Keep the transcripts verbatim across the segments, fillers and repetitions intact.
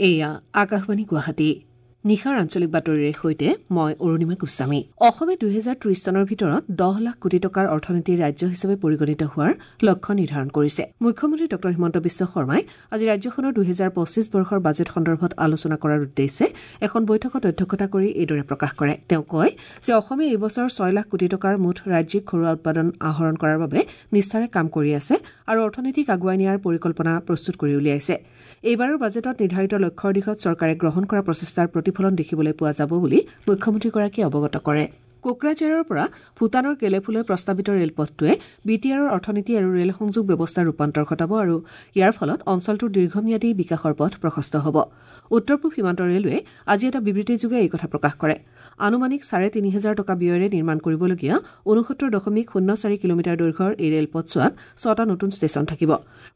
এয়া আকাশবাণী গুৱাহাটী। নিশাৰ আঞ্চলিক বাতৰিৰে সৈতে মই অৰুণিমা গোস্বামী। অসমে দুহেজাৰ ত্ৰিশ চনৰ ভিতৰত দহ লাখ কোটি টকাৰ অৰ্থনীতিৰ ৰাজ্য হিচাপে পৰিগণিত হোৱাৰ লক্ষ্য নিৰ্ধাৰণ কৰিছে। মুখ্যমন্ত্ৰী ডঃ হিমন্ত বিশ্ব শৰ্মাই আজি ৰাজ্যখনৰ দুহেজাৰ পঁচিছ বৰ্ষৰ বাজেট সন্দৰ্ভত আলোচনা কৰাৰ উদ্দেশ্যে এখন বৈঠকত অধ্যক্ষতা কৰি এইদৰে প্ৰকাশ কৰে। তেওঁ কয় যে অসমে এই বছৰ ছয় লাখ কোটি টকাৰ মুঠ ৰাজ্যিক ঘৰুৱা উৎপাদন আহৰণ কৰাৰ বাবে নিষ্ঠাৰে কাম কৰি আছে আৰু অৰ্থনীতিক আগুৱাই নিয়াৰ পৰিকল্পনা প্ৰস্তুত কৰি উলিয়াইছে। এইবাৰৰ বাজেটত নিৰ্ধাৰিত লক্ষ্যৰ দিশত চৰকাৰে গ্ৰহণ কৰা প্ৰচেষ্টাৰ প্ৰতিফলন দেখিবলৈ পোৱা যাব বুলি মুখ্যমন্ত্ৰীগৰাকীয়ে অৱগত কৰে। কোকৰাঝাৰৰ পৰা ভূটানৰ গেলেফুলৈ প্ৰস্তাৱিত ৰেলপথটোৱে বি টি আৰৰ অৰ্থনীতি আৰু ৰেল সংযোগ ব্যৱস্থাৰ ৰূপান্তৰ ঘটাব আৰু ইয়াৰ ফলত অঞ্চলটোৰ দীৰ্ঘম্যাদী বিকাশৰ পথ প্ৰশস্ত হ'ব। উত্তৰ পূব সীমান্ত ৰেলৱে আজি এটা বিবৃতিযোগে এই কথা প্ৰকাশ কৰে। আনুমানিক চাৰে তিনি হাজাৰ টকা ব্যয়েৰে নিৰ্মাণ কৰিবলগীয়া ঊনসত্তৰ দশমিক শূন্য চাৰি কিলোমিটাৰ দৈৰ্ঘ্যৰ এই ৰেলপথছোৱাত ছটা নতুন ষ্টেচন থাকিব।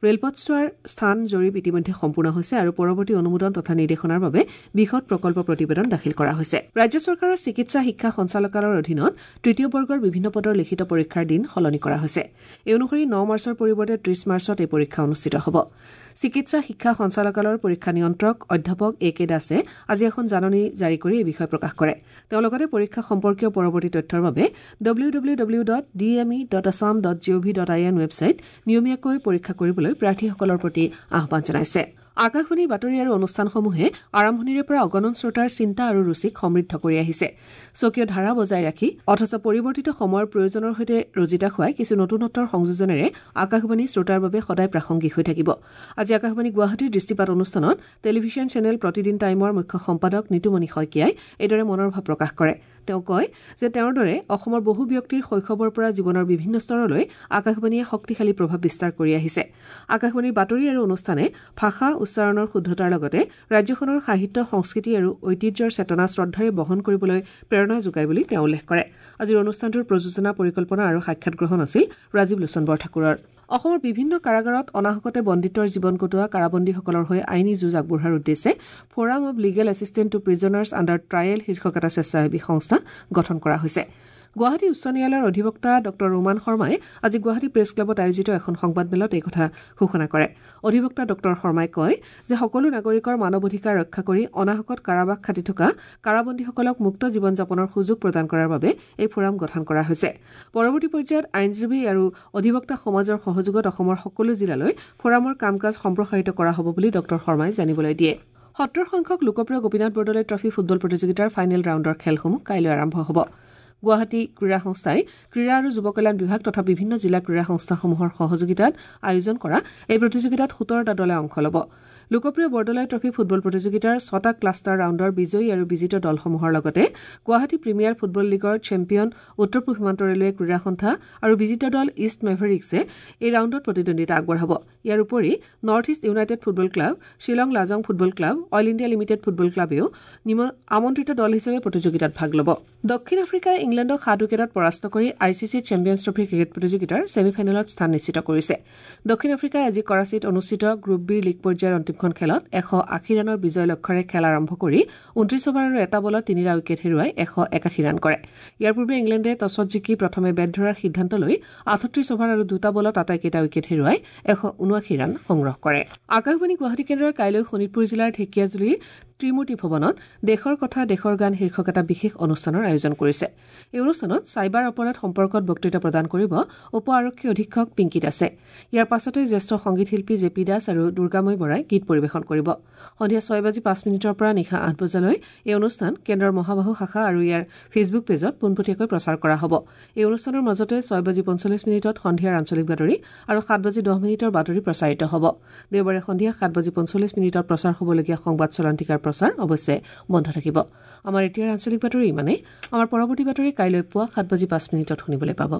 ৰেলপথছোৱাৰ স্থান জৰীপ ইতিমধ্যে সম্পূৰ্ণ হৈছে আৰু পৰৱৰ্তী অনুমোদন তথা নিৰ্দেশনাৰ বাবে বিশদ প্ৰকল্প প্ৰতিবেদন দাখিল কৰা হৈছে। ৰাজ্য চৰকাৰৰ চিকিৎসা শিক্ষা সঞ্চালকালয়ৰ অধীনত তৃতীয় বৰ্গৰ বিভিন্ন পদৰ লিখিত পৰীক্ষাৰ দিন সলনি কৰা হৈছে। এই অনুসৰি ন মাৰ্চৰ পৰিৱৰ্তে ত্ৰিশ মাৰ্চত এই পৰীক্ষা অনুষ্ঠিত হ'ব। চিকিৎসা শিক্ষা সঞ্চালকালয়ৰ পৰীক্ষা নিয়ন্ত্ৰক অধ্যাপক এ কে দাসে আজি এখন জাননী জাৰি কৰি এই বিষয়ে প্ৰকাশ কৰে। তেওঁ লগতে পৰীক্ষা সম্পৰ্কীয় পৰৱৰ্তী তথ্যৰ বাবে W W W dot D M E dot Assam dot G O V dot I N website নিয়মীয়াকৈ পৰীক্ষা কৰিবলৈ প্ৰাৰ্থীসকলৰ প্ৰতি আহ্বান জনাইছে। আকাশবাণীৰ বাতৰি আৰু অনুষ্ঠানসমূহে আৰম্ভণিৰে পৰা অগণন শ্ৰোতাৰ চিন্তা আৰু ৰুচিক সমৃদ্ধ কৰি আহিছে। স্বকীয় ধাৰা বজাই ৰাখি অথচ পৰিৱৰ্তিত সময়ৰ প্ৰয়োজনৰ সৈতে ৰজিতা খুৱাই কিছু নতুনত্বৰ সংযোজনেৰে আকাশবাণী শ্ৰোতাৰ বাবে সদায় প্ৰাসংগিক হৈ থাকিব। আজি আকাশবাণী গুৱাহাটীৰ দৃষ্টিপাত অনুষ্ঠানত টেলিভিছন চেনেল প্ৰতিদিন টাইমৰ মুখ্য সম্পাদক নিতুমণি শইকীয়াই এইদৰে মনৰ ভাৱ প্ৰকাশ কৰে। তেওঁ কয় যে তেওঁৰ দৰে অসমৰ বহু ব্যক্তিৰ শৈশৱৰ পৰা জীৱনৰ বিভিন্ন স্তৰলৈ আকাশবাণীয়ে শক্তিশালী প্ৰভাৱ বিস্তাৰ কৰি আহিছে। আকাশবাণীৰ বাতৰি আৰু অনুষ্ঠানে ভাষা উচ্চাৰণৰ শুদ্ধতাৰ লগতে ৰাজ্যখনৰ সাহিত্য, সংস্কৃতি আৰু ঐতিহ্যৰ চেতনা শ্ৰদ্ধাৰে বহন কৰিবলৈ প্ৰেৰণা যোগায় বুলি তেওঁ উল্লেখ কৰে। আজিৰ অনুষ্ঠানটোৰ প্ৰযোজনা, পৰিকল্পনা আৰু সাক্ষাৎ গ্ৰহণ আছিল ৰাজীৱ লোচন বৰঠাকুৰৰ। অসমৰ বিভিন্ন কাৰাগাৰত অনাহকতে বন্দীত্বৰ জীৱন কটোৱা কাৰাবন্দীসকলৰ হৈ আইনী যুঁজ আগবঢ়োৱাৰ উদ্দেশ্যে forum of legal assistant to prisoners under trial শীৰ্ষক এটা স্বেচ্ছাসেৱী সংস্থা গঠন কৰা হৈছে। গুৱাহাটী উচ্চ ন্যায়ালয়ৰ অধিবক্তা ডঃ ৰোমান শৰ্মাই আজি গুৱাহাটী প্ৰেছ ক্লাবত আয়োজিত এখন সংবাদমেলত এই কথা ঘোষণা কৰে। অধিবক্তা ডঃ শৰ্মাই কয় যে সকলো নাগৰিকৰ মানৱ অধিকাৰ ৰক্ষা কৰি অনাহকত কাৰাবাস খাটি থকা কাৰাবন্দীসকলক মুক্ত জীৱন যাপনৰ সুযোগ প্ৰদান কৰাৰ বাবে এই ফ'ৰাম গঠন কৰা হৈছে। পৰৱৰ্তী পৰ্যায়ত আইনজীৱী আৰু অধিবক্তা সমাজৰ সহযোগত অসমৰ সকলো জিলালৈ ফ'ৰামৰ কাম কাজ সম্প্ৰসাৰিত কৰা হ'ব বুলি ডঃ শৰ্মাই জানিবলৈ দিয়ে। সত্তৰ সংখ্যক লোকপ্ৰিয় গোপীনাথ বৰদলৈ ট্ৰফী ফুটবল প্ৰতিযোগিতাৰ ফাইনেল ৰাউণ্ডৰ খেলসমূহ কাইলৈ আৰম্ভ হ'ব। গুৱাহাটী ক্ৰীড়া সংস্থাই ক্ৰীড়া আৰু যুৱ কল্যাণ বিভাগ তথা বিভিন্ন জিলা ক্ৰীড়া সংস্থাসমূহৰ সহযোগিতাত আয়োজন কৰা এই প্ৰতিযোগিতাত সোতৰটা দলে অংশ ল'ব। লোকপ্ৰিয় বৰদলৈ ট্ৰফী ফুটবল প্ৰতিযোগিতাৰ ছটা ক্লাষ্টাৰ ৰাউণ্ডৰ বিজয়ী আৰু বিজিত দলসমূহৰ লগতে গুৱাহাটী প্ৰিমিয়াৰ ফুটবল লীগৰ চেম্পিয়ন উত্তৰ পূব সীমান্ত ৰেলৱে ক্ৰীড়া সন্থা আৰু বিজিত দল ইষ্ট মেভেৰিক্সে এই ৰাউণ্ডত প্ৰতিদ্বন্দ্বিতা আগবঢ়াব। ইয়াৰ উপৰি North East United football club, Shillong Lajong football club, Oil India Limited football ক্লাবেও আমন্ত্ৰিত দল হিচাপে প্ৰতিযোগিতাত ভাগ ল'ব। দক্ষিণ আফ্ৰিকাই ইংলেণ্ডক সাত উইকেটত পৰাস্ত কৰি I C C champions trophy cricket প্ৰতিযোগিতাৰ ছেমি ফাইনেলত স্থান নিশ্চিত কৰিছে। দক্ষিণ আফ্ৰিকাই আজি কৰাচীত অনুষ্ঠিত গ্ৰুপ বিৰ লীগ পৰ্যায়ৰ অন্তিমখন খেলত এশ আশী ৰানৰ বিজয় লক্ষ্যৰে খেল আৰম্ভ কৰি ঊনত্ৰিশ অভাৰ আৰু এটা বলত তিনিটা উইকেট হেৰুৱাই এশ একাশী ৰান কৰে। ইয়াৰ পূৰ্বে ইংলেণ্ডে টছত জিকি প্ৰথমে বেট ধৰাৰ সিদ্ধান্ত লৈ আঠত্ৰিশ অভাৰ আৰু দুটা বলত আটাইকেইটা উইকেট হেৰুৱাই এশ ঊনাশী ৰান সংগ্ৰহ কৰে। আকাশবাণী গুৱাহাটী কেন্দ্ৰই কাইলৈ শোণিতপুৰ জিলাৰ ঢেকীয়াজুলিৰ ত্ৰিমূৰ্তি ভৱনত দেশৰ কথা দেশৰ গান শীৰ্ষক এটা বিশেষ অনুষ্ঠানৰ আয়োজন কৰিছে। এই অনুষ্ঠানত চাইবাৰ অপৰাধ সম্পৰ্কত বক্তৃতা প্ৰদান কৰিব উপ আৰক্ষী অধীক্ষক পিংকী দাসে। ইয়াৰ পাছতে জ্যেষ্ঠ সংগীত শিল্পী জে পি দাস আৰু দুৰ্গাময়ী বৰাই গীত পৰিৱেশন কৰিব। সন্ধিয়া ছয় বাজি পাঁচ মিনিটৰ পৰা নিশা আঠ বজালৈ এই অনুষ্ঠান কেন্দ্ৰৰ মহাবাহু শাখা আৰু ইয়াৰ ফেচবুক পেজত পোনপটীয়াকৈ প্ৰচাৰ কৰা হ'ব। এই অনুষ্ঠানৰ মাজতে ছয় বাজি পঞ্চল্লিছ মিনিটত সন্ধিয়াৰ আঞ্চলিক বাতৰি আৰু সাত বাজি দহ মিনিটৰ বাতৰি প্ৰচাৰিত হ'ব। দেওবাৰে সন্ধিয়া সাত বাজি পঞ্চল্লিছ মিনিটত প্ৰচাৰ হ'বলগীয়া সংবাদ চলান্তিকাৰ প্ৰচাৰ অৱশ্যে বন্ধ থাকিব। আমাৰ এতিয়াৰ আঞ্চলিক বাতৰি ইমানেই। আমাৰ পৰৱৰ্তী বাতৰি কাইলৈ পুৱা সাত বাজি পাঁচ মিনিটত শুনিবলৈ পাব।